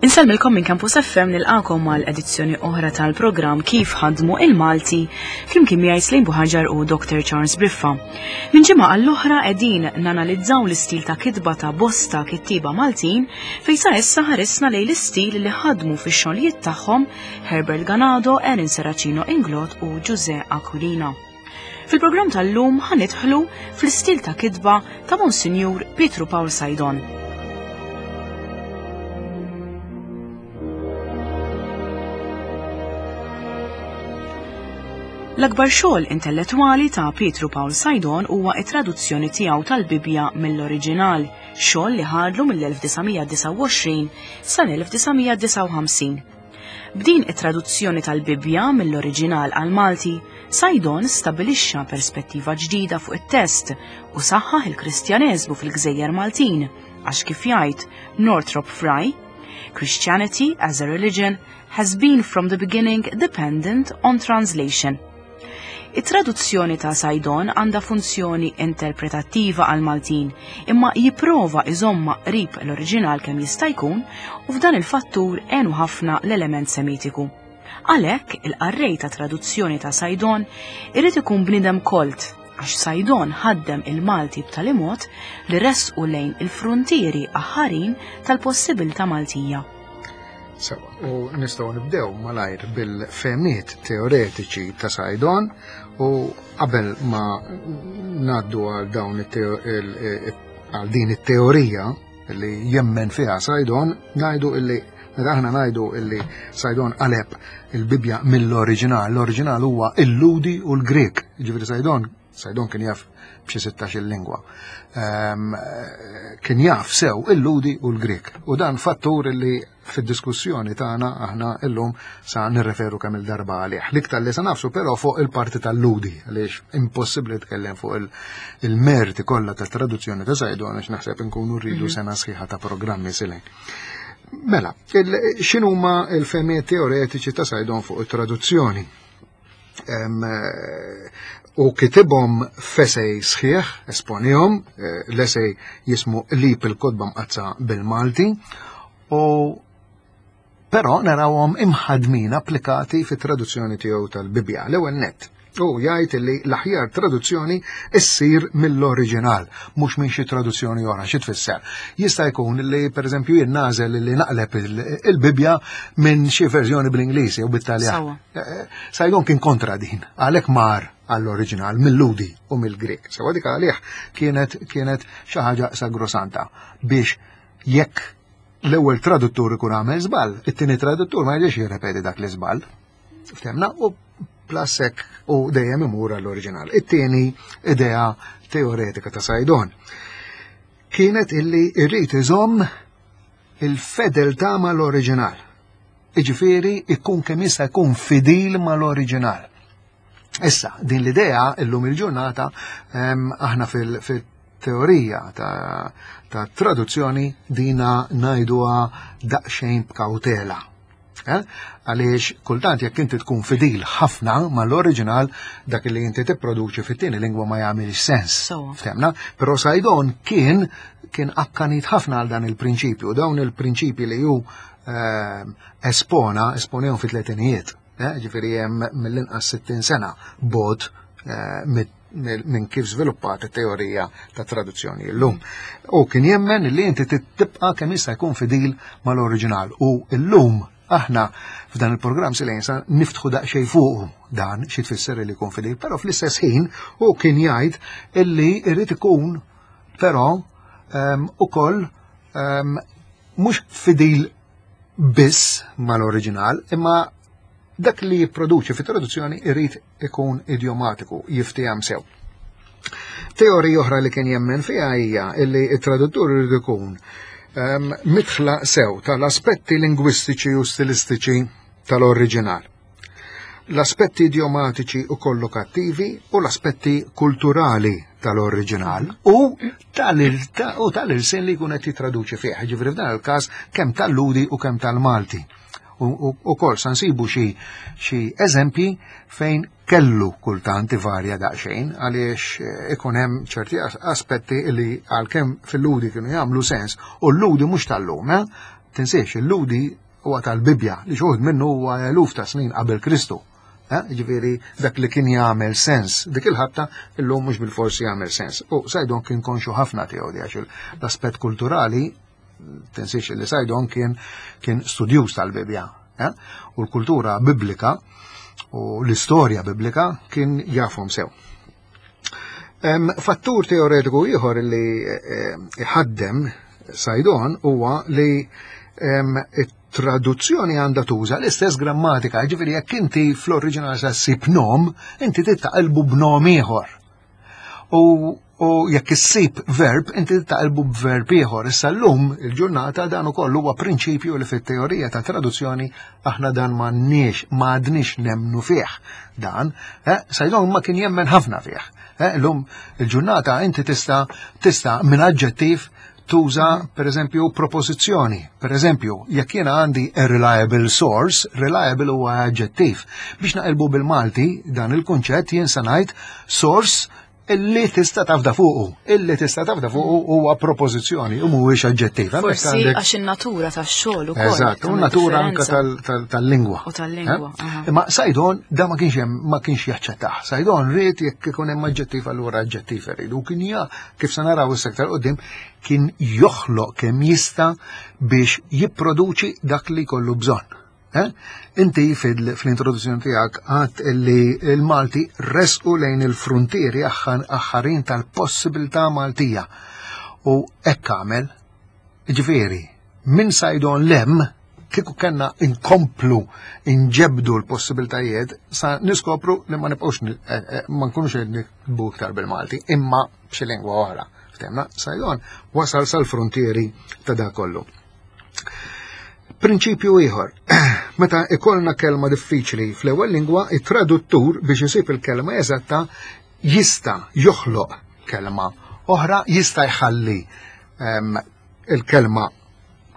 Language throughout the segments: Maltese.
Insellmilkom minn Campus FM nilqakom għal edizzjoni oħra tal-programm Kif ħadmu il-Malti flimkien miegħi Slim Buħaġar u Dr. Charles Briffa. Minn ġimgħa għall-oħra qegħdin nanalizzaw l-istil ta' kitba ta' bosta kittieba Maltin fejn sa issa ħarisna lejn l-istil li ħadmu fix-xogħlijiet tagħhom Herbert Ganado, Erin Serracino Inglot u Ġuże Aquilina. Fil-programm tal-lum ħanidħlu fl-istil ta' kitba ta' Monsinjur Pietru Pawl Saydon. L-akbar xogħol intellettwali ta' Pietru Pawl Saydon huwa t-traduzzjoni tiegħu tal-Bibbja mill-oriġinal, xogħol li ħadlu mill-1929 sal-1959. B'din it-traduzzjoni tal-Bibbja mill-oriġinal għall-Malti, Saydon stabbilixxa perspettiva ġdida fuq it-test u saħħaħ il-Kristjaneżmu fil-gżejjer Maltin għax kif jgħid Northrop Frye, Christianity as a religion has been from the beginning dependent on translation. It-traduzzjoni ta' Saydon għandha funzjoni interpretattiva għall-Maltin, imma jipprova iżommha qrib l-oriġinal kemm jista' jkun u f'dan il-fattur għenu ħafna l-element Semitiku. Għalhekk, il-qarrej ta' traduzzjoni ta' Saydon irid ikun bniedem kolt għax Saydon ħaddem il-Malti b'tali mod li ressqu lejn il-fruntieri aħħarin tal-possibilità Maltija. Sewa, u nistgħu nibdew malajr bil-fehmiet teoretiċi ta' Saydon u qabel ma ngħaddu għal dawn għal din it-teorija li jemmen fiha Saydon, ngħidu illi meta aħna ngħidu illi Saydon qaleb il-Bibbja mill-oriġinal, l-oriġinal huwa il-Ludi u l-Grek. Ġifieri Saydon Saydon kien jaf b'xi 16 lingwa. Ehm, kien jaf sew il-Ludi u l-Grek. U dan fattur li fid-diskussjoni tagħna aħna illum sa nirreferu kemm il-darba għalih. L-iktar li sa nafsu però fuq il-parti tal-Ludi, għaliex impossibbli tkellem fuq il-merti kollha tat-traduzzjoni ta' Saydon għax naħseb inkunu rridu mhm. sena sħiħa ta' programmi silejn. Mela, x'inhuma l-fehmiet teoretiċi ta' Saydon fuq it-traduzzjoni? Eh, u kitibhom f'esej sħiħ, esponihom, eh, l-esej jismu Qlib il-Kotba Mqaddsa bil-Malti, u però narawhom imħadmin applikati fit-traduzzjoni tiegħu tal-Bibbja. L-ewwel nett, u jgħid li l-aħjar traduzzjoni issir mill-oriġinal, mhux minn xi traduzzjoni oħra, xi tfisser. Jista' jkun li pereżempju jien nagħżel li naqleb il-Bibbja minn xi verżjoni bl-Ingliż jew bit-Taljan. Sajdon kien kontra din, għalhekk mar għall-oriġinal mill-Ludi u mill-Grek. Sewa dik għalih kienet kienet xi ħaġa sagrosanta biex jekk l-ewwel traduttur ikun għamel żball, it-tieni traduttur ma jġiex jirrepeti dak l-iżball. Ftemna u plasek u dejjem imur għall-oriġinal. It-tieni idea teoretika ta' Sajdon kienet illi irrid iżomm il-fedeltà mal-oriġinal. Iġifieri ikun kemm jista' jkun fidil mal-oriġinal. Issa, din l-idea illum il-ġurnata ehm, aħna fil-teorija ta', ta traduzzjoni dina ngħiduha daqsxejn b'kawtela. Eh? Għaliex kultant jekk inti tkun fidil ħafna mal-oriġinal dak li inti tipproduċi fit-tieni lingwa ma jagħmilx sens. Ftemna? Però Sajdon kien kien akkanit ħafna għal dan il-prinċipju, dawn il-prinċipji li hu ehm, espona, esponehom fit-tletinijiet, eh, ġifieri hemm mill-inqas 60 sena bot eh, minn kif żviluppat it-teorija ta' traduzzjoni llum. U kien jemmen li inti tibqa' kemm jista' jkun fidil mal-oriġinal u llum aħna f'dan il-programm silenza niftħu daqsxejn fuqu dan xi tfisser li jkun fidil, però fl-istess ħin u kien jgħid illi jrid ikun però ehm, ukoll ehm, mhux fidil biss mal-oriġinal, imma dak li jipproduċi fit-traduzzjoni irid ikun idjomatiku, jiftiham sew. Teorija oħra li kien jemmen fiha hija li t-traduttur irid ikun ehm, mitħla sew tal-aspetti lingwistiċi u stilistiċi tal-oriġinal. L-aspetti idjomatiċi u kollokattivi u l-aspetti kulturali tal-oriġinal u tal-irsin li jkun qed jitraduċi fih, ġifieri f'dan il-każ kemm tal-Ludi u kemm tal-Malti. U kol sa nsibu xi eżempji fejn kellu kultant ivarja daqsxejn għaliex eh, ikun hemm ċerti aspetti li għalkemm fil-ludi kienu jagħmlu sens u l-ludi mhux tal-lum, eh? Tinsiex, il-Lhudi huwa tal-Bibbja li xi minnu huwa eluf ta' snin qabel Kristu. Eh, ġifieri dak li kien jagħmel sens dik il-ħabta illum mhux bil-forsi jagħmel sens. U Sajdon kien konxu ħafna tiegħu di għax l-aspett kulturali tinsiex li Sajdon kien kien studjuż tal-Bibbja. Eh? U l-kultura biblika u l-istorja biblika kien jafhom sew. Fattur teoretiku ieħor li eh, iħaddem Sajdon huwa li traduzzjoni għandha tuża l-istess grammatika, ġifieri jekk inti fl-oriġinal sa ssib nom, inti tittaqilbu b'nom ieħor. U, u jekk issib verb, inti tittaqilbu b'verb ieħor. Issa llum il-ġurnata dan ukoll huwa prinċipju li fit-teorija ta' traduzzjoni aħna dan m'għandniex m'għadniex nemmnu fih. Dan, eh, Sajdon ma kien jemmen ħafna fih. Eh, llum il-ġurnata inti tista' tista' minn aġġettiv tuża per eżempju propożizzjoni. Per eżempju, jekk jiena għandi a reliable source, reliable huwa aġġettiv. Biex naqilbu bil-Malti dan il-kunċett jien se ngħid source illi tista' tafda fuqu. Illi tista' tafda fuqu huwa propożizzjoni u mhuwiex aġġettiv. Forsi għax in-natura tax-xogħol ukoll. Eżatt, u natura anke tal-lingwa. U tal-lingwa. Eh? Imma Sajdon da ma kienx hemm ma kienx jaċċettah. Sajdon ried jekk ikun hemm aġġettiv allura aġġettiv irid. U kien ja kif se naraw issa aktar qudiem kien joħloq kemm jista' biex jipproduċi dak li jkollu bżonn. Eh? Inti fl-introduzzjoni tiegħek għadt li l-Malti resqu lejn il-fruntieri aħħarin tal-possibilità Maltija. U hekk għamel, ġifieri, minn Sajdon lem kieku kellna inkomplu inġebdu l-possibiltajiet sa niskopru li ma nibqgħux eh, eh, ma nkunux qed niktbu iktar bil-Malti, imma b'xi lingwa oħra. Ftemna, Sajdon wasal sal-frontieri ta' dak kollu. Prinċipju ieħor, meta ikollna kelma diffiċli fl-ewwel lingwa, it-traduttur biex isib il-kelma eżatta jista' joħloq kelma oħra, jista' jħalli ehm, il-kelma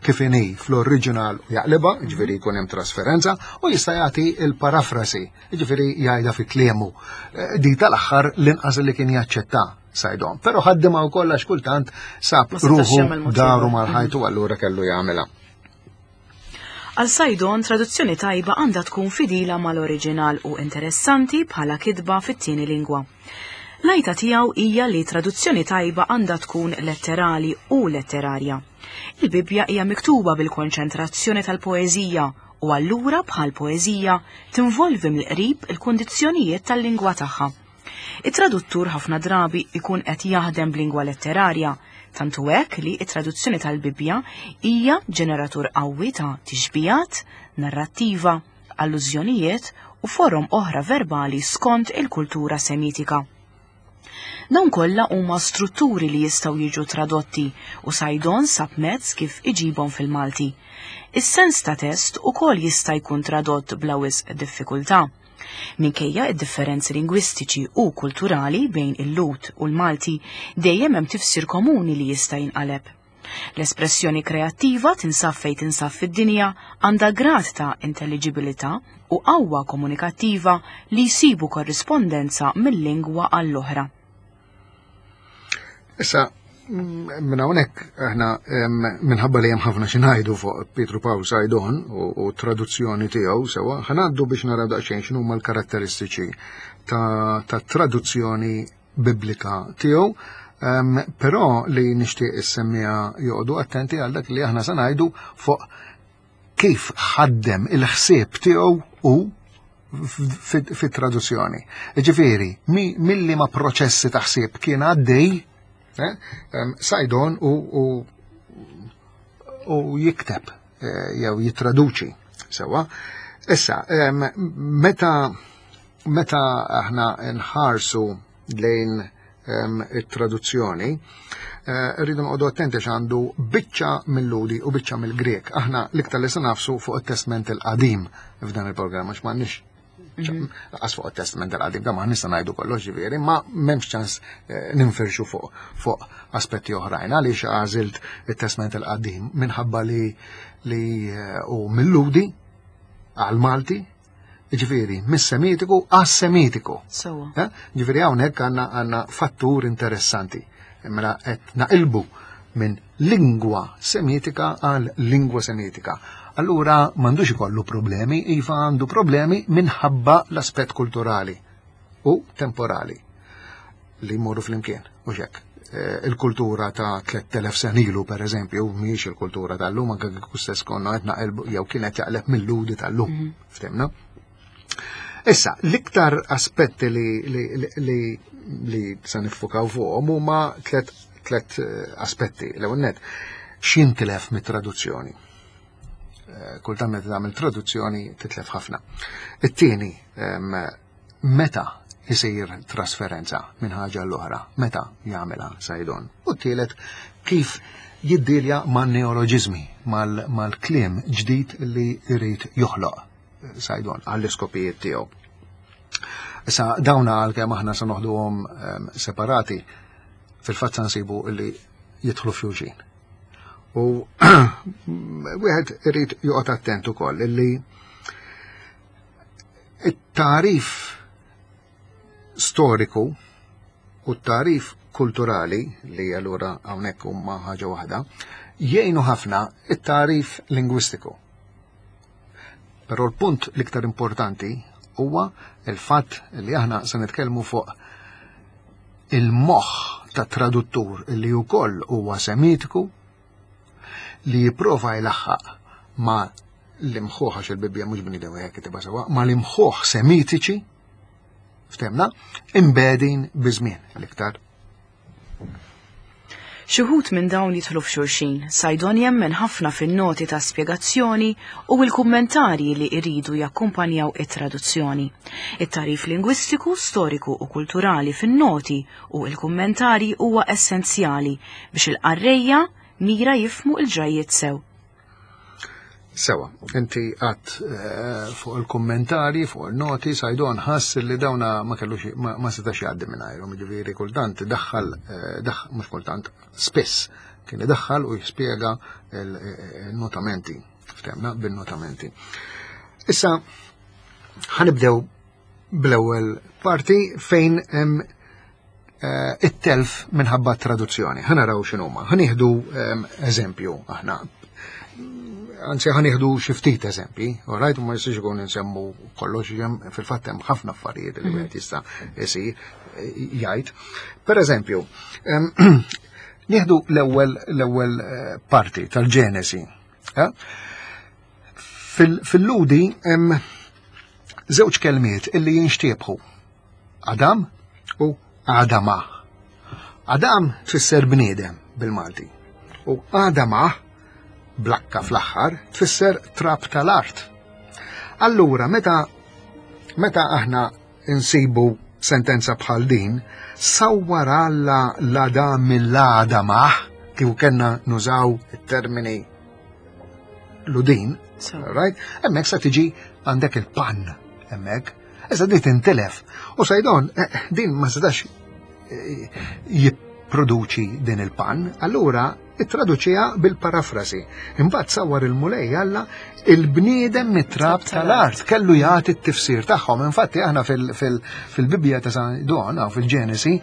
kif inhi fl-oriġinal u jaqlibha, ġifieri jkun hemm trasferenza, u jista' jagħti l-parafrasi, ġifieri jgħidha fi kliemu. Eh, di tal-aħħar l-inqas li kien jaċċetta Sajdon. Però ħaddimha wkoll għax kultant sab ruħu daru mal-ħajtu allura kellu jagħmilha. Għal Sajdon, traduzzjoni tajba għandha tkun fidila mal-oriġinal u interessanti bħala kitba fit-tieni lingwa. L-għajta tiegħu hija li traduzzjoni tajba għandha tkun letterali u letterarja. Il-Bibbja hija miktuba bil-konċentrazzjoni tal-poeżija u allura bħal poeżija tinvolvi mill-qrib il-kundizzjonijiet tal-lingwa tagħha. It-traduttur ħafna drabi jkun qed jaħdem b'lingwa letterarja, tant hu hekk li t-traduzzjoni tal-Bibbja hija ġeneratur qawwi ta' tixbihat, narrattiva, allużjonijiet u forom oħra verbali skont il-kultura Semitika. Dawn kollha huma strutturi li jistgħu jiġu tradotti u Saydon sab mezz kif iġibhom fil-Malti. Is-sens ta' test ukoll jista' jkun tradott bla wisq diffikultà. Minkejja d-differenzi lingwistiċi u kulturali bejn il-Lhud u l-Malti, dejjem hemm tifsir komuni li jista' jinqaleb. L-espressjoni kreattiva tinsab fejn tinsab fid-dinja għandha grad ta' intelliġibilità u qawwa komunikattiva li jsibu korrispondenza mill-lingwa għall-oħra. Issa, minn hawnhekk aħna minħabba li hemm ħafna xi ngħidu fuq Pietru Pawl Sajdon u traduzzjoni tiegħu sewwa, ħanaddu biex naraw daqsxejn x'inhuma l-karatteristiċi ta' traduzzjoni biblika tiegħu. Um, però li nixtieq issemmija joqogħdu attenti għal dak li aħna se ngħidu fuq kif ħaddem il-ħsieb tiegħu u fit-traduzzjoni. Ġifieri, milli ma proċessi ta' ħsieb kien għaddej, eh, Sajdon u, u, u jikteb eh, jew jittraduċi sewwa. Issa, meta meta aħna nħarsu lejn it-traduzzjoni, eh, rridu noqogħdu attenti għandu biċċa mill-Ludi u biċċa mill-Grek. Aħna l-iktar li se nafsu fuq it-Testment il-Qadim f'dan il-programm għax m'għandniex mhm. Għas fuq il-testament il-qadim, da ma nista' ngħidu kollox ġifieri, ma m'hemmx ċans eh, ninfirxu fuq fuq aspetti oħrajn. Għaliex għażilt it-testament il-qadim minħabba li li eh, u mill-Ludi għal-Malti Ġifieri, mis-Semitiku għas-Semitiku. Sewwa. Eh? Ġifieri hawnhekk għandna għandna fattur interessanti. Mela qed naqilbu minn lingwa semitika għal lingwa semitika. Allura m'għandux ikollu problemi, iva għandu problemi minħabba l-aspett kulturali u temporali li jmorru flimkien, u hekk. Eh, il-kultura ta' 3000 sen ilu, per eżempju, mhijiex il-kultura tal-lum, anke kieku stess konna qed naqilbu jew kienet jaqleb mill-ludi tal-lum, mhm. ftemna. Issa, l-iktar aspetti li, li, li, li se niffukaw fuqhom huma tlet, tlet eh, aspetti. L-ewwel net, x'intilef mit-traduzzjoni? Eh, kultant meta tagħmel traduzzjoni titlef ħafna. It-tieni, meta isir trasferenza minn ħaġa l-oħra, meta jagħmilha Sajdon. U t-tielet, kif jiddilja man neoloġiżmi, mal-kliem ġdid li jrid joħloq Sajdon għall-iskopijiet tiegħu. Issa dawna għalkemm aħna se noħduhom ehm, separati, fil-fatt se nsibu li jidħlu f'xulxin. U wieħed irid joqgħod attent ukoll illi it-tarif storiku u t-tarif kulturali li allura hawnhekk huma ħaġa waħda, jgħinu ħafna it-tarif lingwistiku. Però l-punt l-iktar importanti huwa il-fatt li aħna se nitkellmu fuq il-moħħ ta' traduttur li wkoll huwa semitiku li jipprova jlaħħaq ma l-imħuħ għax il-Bibbja mhux bniedem wieħed kitibha sewwa, ma l-imħuħ semitiċi ftemna imbedin biżmien l-iktar. Xi wħud minn dawn jidħlu f'xulxin. Saydon jemmen ħafna fin-noti ta' spjegazzjoni u l-kummentarji li jridu jakkumpanjaw it-traduzzjoni. It-tagħrif lingwistiku, storiku u kulturali fin-noti u l-kummentarji huwa essenzjali biex il-qarrejja mira jifhmu l-ġrajjiet sew. Sewa, inti għat eh, fuq il-kommentari, fuq il-noti, Sajdon ħass li dawna ma kellux ma setax jgħaddi minn għajru, ġifieri kultant daħħal, eh, mhux kultant, spiss kien idaħħal u jispjega il-notamenti, ftemna bin-notamenti. Issa ħanibdew bl-ewwel parti fejn hemm eh, it-telf minħabba traduzzjoni. Ħanaraw x'inhuma. Ħanieħdu ehm, eżempju aħna. Anzi ħanieħdu xi ftit eżempji, all right, ma jistax ikun insemmu kollox hemm fil-fatt hemm ħafna affarijiet li mhm. wieħed jista' isir eh, jgħid. Per eżempju, ehm, nieħdu l-ewwel l-ewwel eh, parti tal-Ġenesi. Fil-ludi hemm żewġ kelmiet illi jinxtiebħu. Adam u Adama. Adam tfisser bniedem bil-Malti u Adama blakka fl-aħħar tfisser trab tal-art. Allura meta meta aħna insibu sentenza bħal din, sawwar Alla l-Adam mill-Adama kif kellna nużaw it-termini ludin, right? Hemmhekk sa tiġi għandek il-pan hemmhekk. Issa di tintilef. U Sajdon, eh, din ma setax eh, jipproduċi din il-pan, allura ittraduċiha bil-parafrasi. Imbagħad sawar il-Mulej Alla il-bniedem mit-trab tal-art kellu jagħti t-tifsir tagħhom. Infatti aħna fil-Bibbja ta' San Don fil-Ġenesi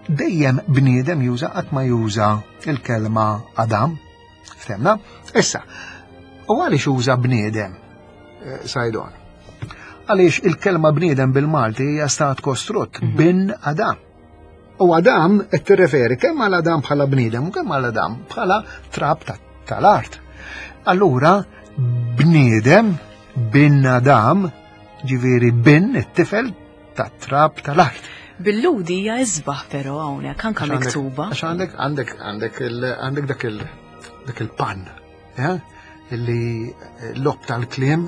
dejjem bniedem juża qatt ma juża il-kelma Adam. Ftemna? Issa, u għaliex uża bniedem eh, Sajdon? Għaliex il-kelma bniedem bil-Malti hija stat kostrutt mhm. bin Adam. U Adam qed tirreferi kemm għal Adam bħala bniedem u kemm għal Adam bħala trab tal-art. Allura bniedem bin Adam ġifieri bin it-tifel tat-trab tal-art. Bil-ludi hija isbaħ però hawnhekk anke miktuba. Għax għandek għandek għandek għandek dak il dak il-pan, eh? illi l-lob tal-kliem.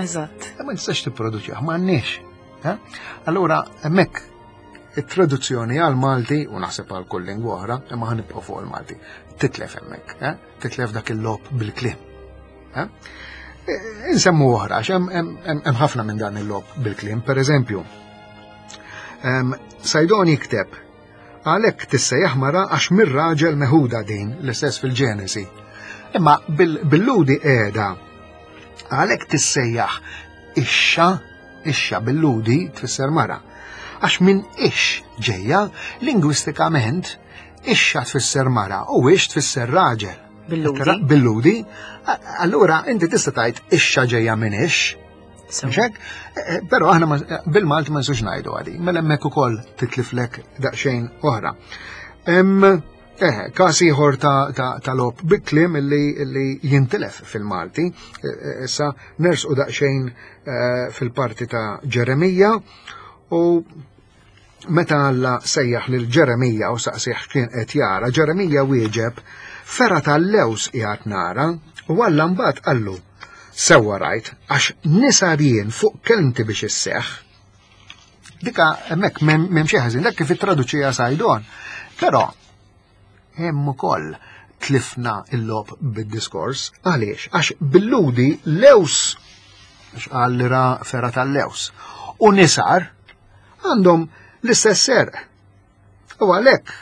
Eżatt. Ma nistax tipproduċi, ma għandniex. Eh? Allura hemmhekk it-traduzzjoni għal Malti u naħseb għal kull lingwa oħra, imma ħanibqgħu fuq il-Malti. Titlef hemmhekk, eh? Titlef dak il-lob bil-kliem. Eh? Insemmu oħra, għax hemm ħafna minn dan il-lob bil-kliem, per eżempju. Sajdon jikteb għalhekk tissejjaħ mara għax mir-raġel meħuda din l-istess fil-Ġenesi. Imma bil-ludi qiegħda għalhekk tissejjaħ ixxa, ixxa bil-ludi tfisser mara. Għax minn ix ġejja lingwistikament. Ixxa tfisser mara u ix tfisser raġel. Billudi. Billudi. Allura inti tista' tgħid ixxa ġejja minn ix. Mxek? Eh, eh, però aħna bil-Malti ma nsux ngħidu għadi. Mela hemmhekk ukoll titliflek daqsxejn oħra. Eh, każ ieħor ta', ta, ta lob bi-kliem illi, illi jintilef fil-Malti. Issa nersqu daqsxejn fil-parti ta' Ġeremija u Meta Alla sejjaħ lil Ġeremija u saqsih x'kien qed jara, Ġeremija wieġeb, Fergħa tal-lewż qiegħed nara, u Alla mbagħad qallu, Sewwa rajt, għax nisar jien fuq kelmti biex isseħħ. Dika hemmhekk m'hemm xi ħażin, dak kif ittraduċija Sajdon. Però hemm ukoll tlifna l-logħob bid-diskors. Għaliex? Għax bil-ludi lews, għax qal li ra fergħa tal-lews, u nisar għandhom l-istess serq. U għalhekk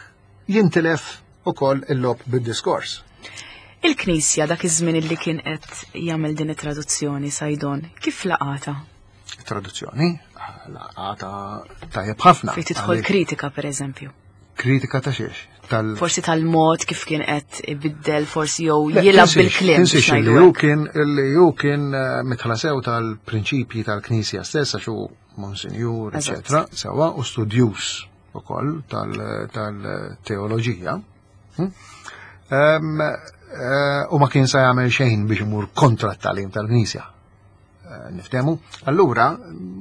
jintilef ukoll il-logħob bid-diskors. Il-Knisja dak iż-żmien li kien qed jagħmel din it-traduzzjoni Sajdon, kif laqata? Traduzzjoni laqata tajjeb ħafna. Fejn tidħol kritika pereżempju. Kritika ta' xiex? Tal Forsi tal-mod kif kien qed ibiddel forsi jew jilgħab bil-kliem. Tinsiex li hu kien li hu kien eh, mitħlasew tal-prinċipji tal-Knisja stess għax hu monsinjur, eċetera, sewa u studjus ukoll tal-teoloġija. Hm? Eh, u ma kien sa jagħmel xejn biex imur kontra t-talim tal-Knisja. Eh, niftehmu. Allura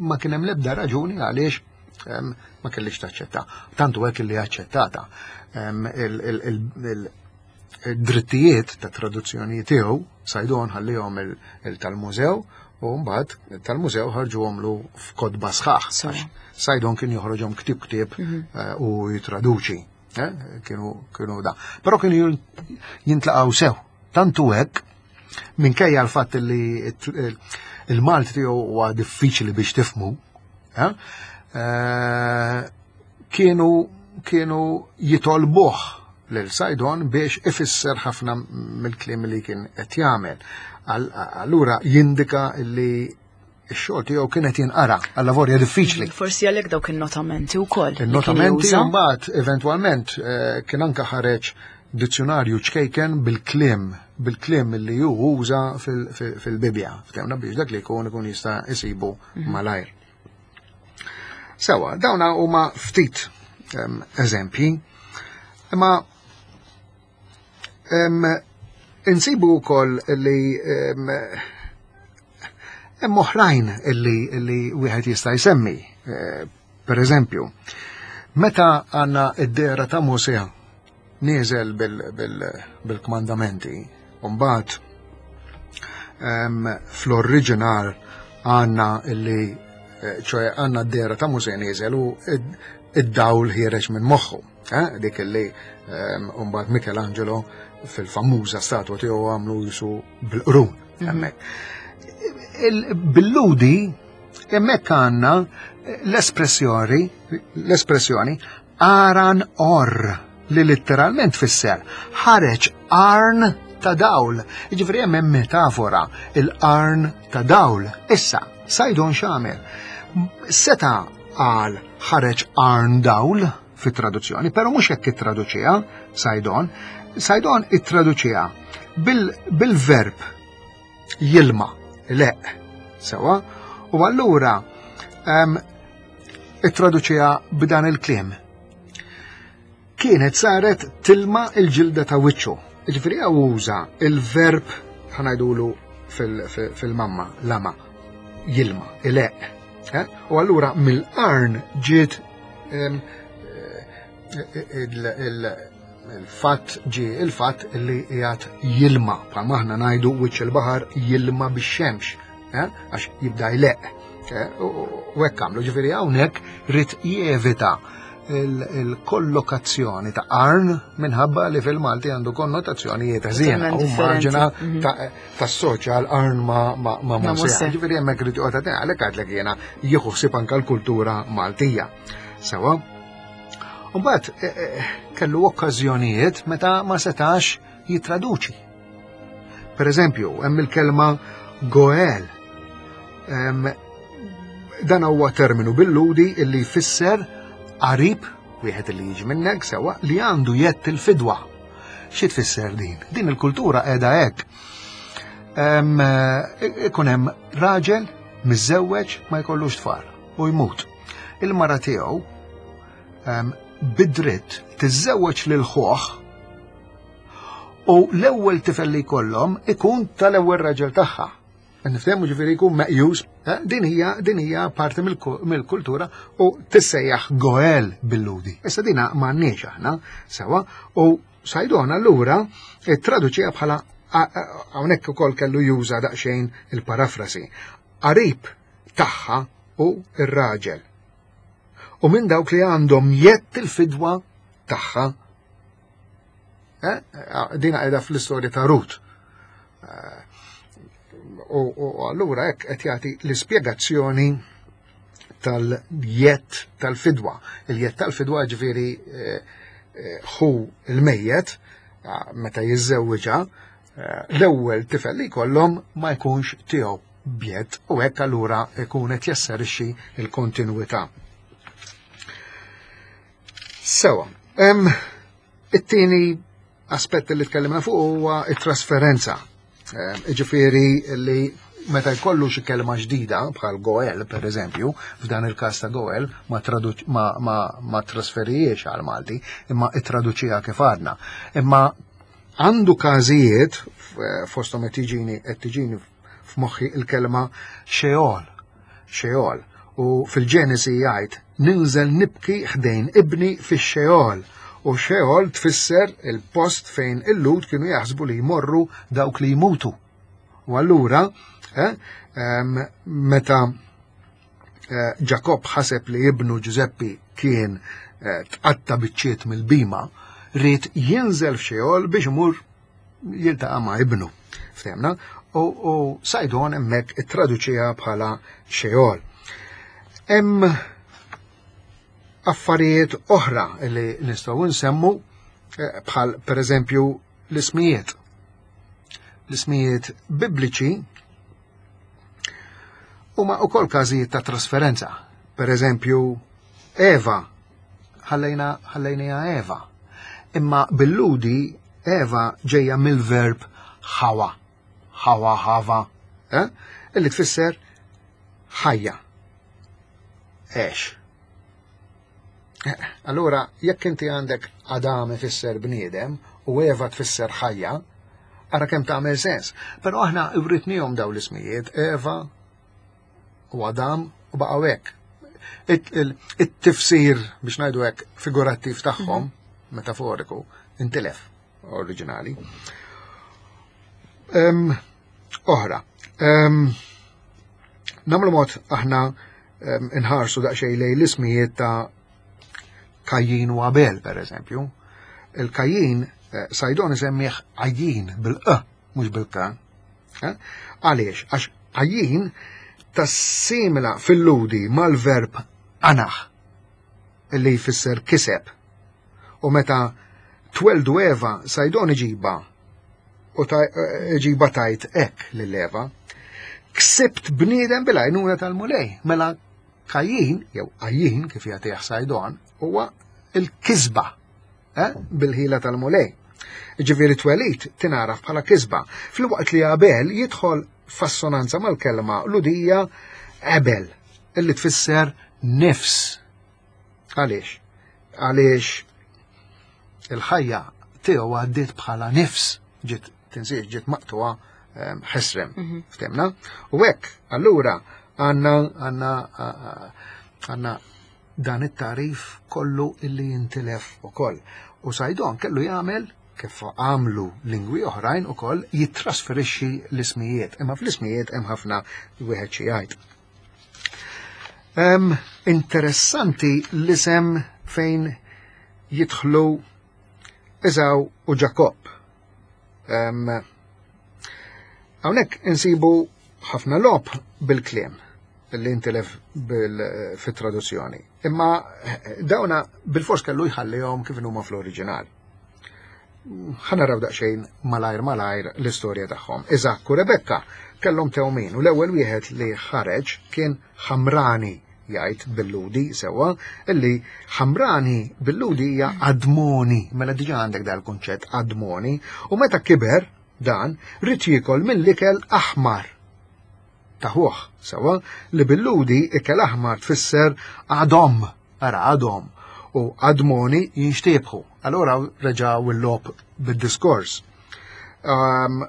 ma kien hemm l-ebda raġuni għaliex ma kellix taċċetta. Tantu hekk li aċċettata il-drittijiet ta' traduzzjoni tiegħu Sajdon ħallihom il-tal-mużew u mbagħad tal-mużew ħarġuhomlu f'kotba sħaħ. Sajdon kien joħroġhom ktieb ktieb mhm. eh, u jitraduċi. Eh, kienu da. Però kienu jintlaqgħu sew. Tantu hekk minkejja l-fatt li il-Malti tiegħu huwa diffiċli biex tifmu, eh, eh, kienu kienu jitolbuh lil Sajdon biex ifisser ħafna mill-kliem li kien qed jagħmel. Allura jindika li x-xogħol tiegħu kien qed jinqara għal lavorja diffiċli. Forsi għalhekk dawk in-notamenti wkoll. Il-notamenti mbagħad eventwalment eh, kien anke ħareġ dizzjonarju ċkejken bil-kliem bil-kliem li hu uża fil-Bibja. Ftehmna biex dak li jkun ikun jista' isibu mhm. malajr. Sewa, dawna huma ftit ehm, eżempji, imma Insibu wkoll li hemm oħrajn li li wieħed jista' jsemmi. Eh, per eżempju, meta għandna id-dera ta' Mosè nieżel bil-kmandamenti, u mbagħad fl-oriġinal għandna li eh, ċoħe għandna d-dera ta' Mosè nieżel u id-dawl ħiereġ minn moħħu. Eh, dik li ehm, mbagħad Michelangelo fil-famuża statwa tiegħu għamlu jisu bil-qrun mhm. hemmhekk. Bil-ludi hemmhekk għandna l-espressjoni l-espressjoni aran or li letteralment fisser ħareġ arn ta' dawl. Jiġifieri hemm metafora il-qarn ta' dawl. Issa, Sajdon x'għamel? Seta' qal ħareġ qarn dawl fit-traduzzjoni, però mhux hekk ittraduċiha Sajdon. Sajdon ittraduċiha bil-verb jilma, leq, sewa, u allura ittraduċiha b'dan il-kliem. Kienet saret tilma il-ġilda ta' wiċċu. Ġifieri uża il-verb ħanajdulu fil-mamma, lama, jilma, ileq. Eh? U allura mill-qarn ġiet eh, il-fatt ġie il-fatt li qiegħed jilma, bħalma aħna ngħidu wiċċ il-baħar jilma bix-xemx, eh? għax jibda jleq. U hekk għamlu, ġifieri hawnhekk rid jevita il-kollokazzjoni ta' qarn minħabba li fil-Malti għandu konnotazzjonijiet ħżiena u maġina mhm. tassoċja l-qarn ma' Mosè. Ġifieri hemmhekk rid joqgħod għalhekk għadlek jiena jieħu ħsieb anke l-kultura Maltija. Sewa. Mbagħad eh, eh, kellu okkażjonijiet meta ma setax jittraduċi. Per eżempju, hemm il-kelma goel. Dan huwa terminu bil-ludi illi jfisser qarib Wieħed li jiġi minnek sewa li għandu jett il-fidwa. Xi tfisser din? Din il-kultura qiegħda hekk. Ikun hemm raġel miżżewweġ ma jkollux tfal u jmut. Il-mara tiegħu bid-dritt tiżżewweġ lil ħuh u l-ewwel tifel li jkollhom ikun tal-ewwel raġel tagħha. Niftehmu ġifieri jkun meqjus, eh, din hija din hija parti mill-kultura u tissejjaħ goel bil-ludi. Issa dina m'għandniex aħna sewa u Sajdon allura traduċija bħala hawnhekk ukoll kellu juża daqsxejn il-parafrasi. Qarib tagħha u r-raġel. U minn dawk li għandhom jett il-fidwa tagħha. Eh, dina qiegħda fl-istorja ta' Rut. Eh, u allura hekk qed jagħti l-ispjegazzjoni tal-jett tal-fidwa. Il-jett tal-fidwa ġifieri eh, hu il-mejjet meta jiżżewwiġha l-ewwel tifel li jkollhom ma jkunx tiegħu bjed u hekk allura jkun qed jasserixxi l-kontinwità. Sewa, it-tieni aspett li tkellimna fuq huwa it-trasferenza. Ġifieri li meta jkollu xi kelma ġdida bħal Goel per eżempju, f'dan il-każ ta' Goel ma, ma, ma, ma trasferijiex għal Malti, imma ittraduċiha kif għadna. Imma għandu każijiet fosthom qed tiġini qed tiġini f'moħħi il-kelma Sheol. Sheol. U fil-Ġenesi jgħid ninżel nibki ħdejn ibni fix-Sheol. U Sheol tfisser il-post fejn il-Lud kienu jaħsbu li jmorru dawk li jmutu. U allura, eh, meta eh, Ġakob ħaseb li ibnu Ġużeppi kien eh, tqatta biċċiet mill-bima, ried jinżel f'Xeol biex imur jiltaqa' ma' ibnu. Ftemna? U Sajdon hemmhekk ittraduċiha bħala Xeol. Hemm affarijiet oħra li nistgħu nsemmu eh, bħal pereżempju l-ismijiet. L-ismijiet bibliċi huma wkoll każijiet ta' trasferenza. Per eżempju, Eva ħallejna ħallejniha Eva. Imma bil-Ludi Eva ġejja mill-verb ħawa, ħawa ħava, eh? illi tfisser ħajja. Ex. Eh, allura, jekk inti għandek Adam ifisser bniedem u Eva tfisser ħajja, ara kemm tagħmel sens. Però aħna writnihom daw l-ismijiet, Eva u Adam u baqgħu hekk. It-tifsir biex ngħidu hekk figurattiv tagħhom, mhm. metaforiku, intilef oriġinali. Oħra, namlu mod aħna inħarsu daqsxejn lejn l-ismijiet ta' Kajjin u Abel, per eżempju. Il-Kajjin eh, Sajdon isemmih Għajjin bil-q, mhux bil-k. Eh? Għaliex? Għax Għajjin tassimila fil-ludi mal-verb anaħ li jfisser kiseb. U meta tweldu Eva, Sajdon iġiba u eh, iġiba tajt hekk lil Eva. Ksibt bniedem bil-għajnuna tal-Mulej. Mela Kajjin, jew Għajjin kif jagħtih Sajdon, huwa il-kisba eh, bil-ħila tal-Mulej. Ġifieri twelid tingħaraf bħala kisba, filwaqt li Abel jidħol f'assonanza mal-kelma Lhudija Ebel, illi tfisser nifs. Għaliex? Għaliex il-ħajja tiegħu għaddiet bħala nifs, ġiet tinsiex ġiet maqtuha ehm, ħesrem, mhm. ftemna? U hekk, allura għandna għandna għandna dan it-tarif kollu illi jintilef ukoll. U Sajdon kellu jagħmel kif għamlu lingwi oħrajn ukoll jittrasferixxi l-ismijiet, imma fl-ismijiet hemm ħafna wieħed xi jgħid. Interessanti l-isem fejn jidħlu Eżaw u Ġakobb. Hawnhekk insibu ħafna lob bil-kliem li intilef fit-traduzzjoni. Imma eh, dawna bil-fors kellu jħallihom kif huma fl-oriġinal. Ħanaraw daqsxejn malajr malajr l-istorja tagħhom. Iżakk u Rebekka kellhom tewmin u l-ewwel wieħed li ħareġ kien Ħamrani. jgħid bil-Lhudi sewwa, illi ħamrani bil-Lhudi hija admoni, mela diġà għandek dal-kunċett admoni, u meta kiber dan ried jiekol mill-ikel aħmar ta' ħuh, sewwa, li bil-Lhudi ikel aħmar tfisser adom, ara adom, u admoni jinxtiebħu. Allura reġgħu l-logħob bid-diskors. Um,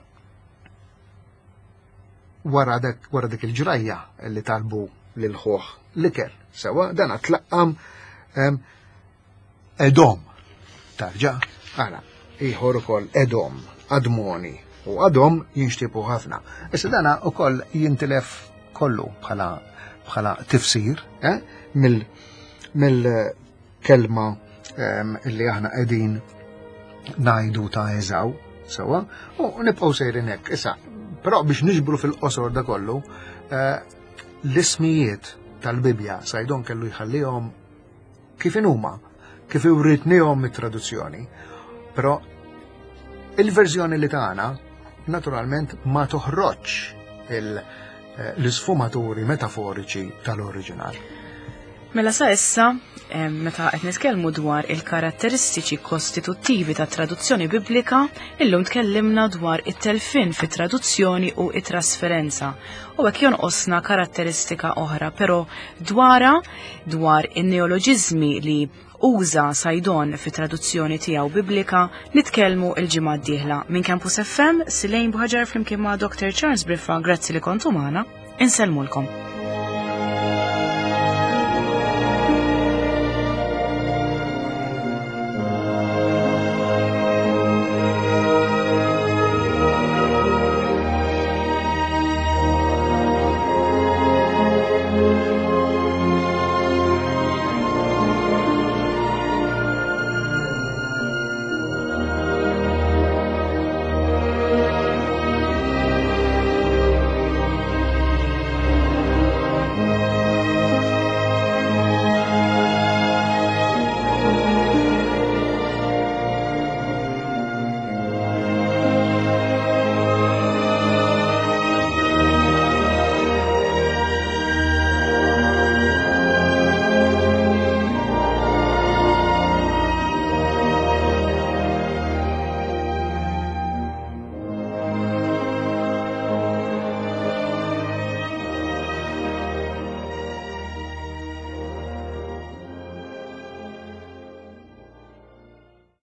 wara dak wara dik il-ġrajja li talbu lil ħuh l-ikel. Sewa dan tlaqqam Edom. Tarġa, ara, ieħor ukoll Edom, Admoni u Adom jinxtiebu ħafna. Issa dana ukoll jintilef kollu bħala bħala tifsir eh, mill mill-kelma li aħna qegħdin ngħidu ta' Eżaw, sewa, u nibqgħu sejrin hekk. Issa, però biex niġbru fil-qosor da kollu, eh, l-ismijiet tal-Bibja Sajdon kellu jħallihom kif inhuma, kif iwritnihom it-traduzzjoni. Però il-verżjoni li tagħna naturalment ma toħroġx eh, l-isfumaturi metaforiċi tal-oriġinal. Mela sa issa, meta qed nitkellmu dwar il-karatteristiċi kostituttivi ta' traduzzjoni biblika, illum tkellimna dwar it-telfin fit-traduzzjoni u it-trasferenza. U hekk jonqosna karatteristika oħra, però dwara dwar in-neoloġiżmi li uża Sajdon fit-traduzzjoni tiegħu biblika nitkellmu l-ġimgħa d-dieħla. Minn Campus FM, Silejn Buħaġar flimkien ma' Dr. Charles Briffa, grazzi li kontu magħna, insellmulkom.